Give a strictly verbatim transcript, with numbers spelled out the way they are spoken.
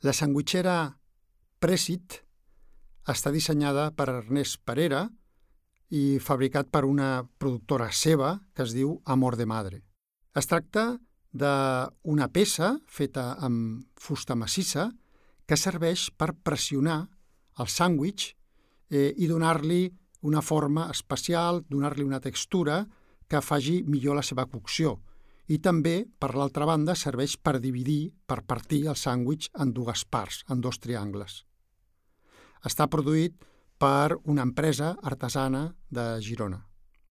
La sandwichera Presit està dissenyada per Ernest Parera i fabricat per una productora seva que es diu Amor de Madre. Es tracta d'una peça feta amb fusta massissa que serveix per pressionar el sàndwich eh, i donar-li una forma especial, donar-li una textura que faci millor la seva cocció. I també, per l'altra banda, serveix per dividir, per partir el sàndwich en dues parts, en dos triangles. Està produït per una empresa artesana de Girona.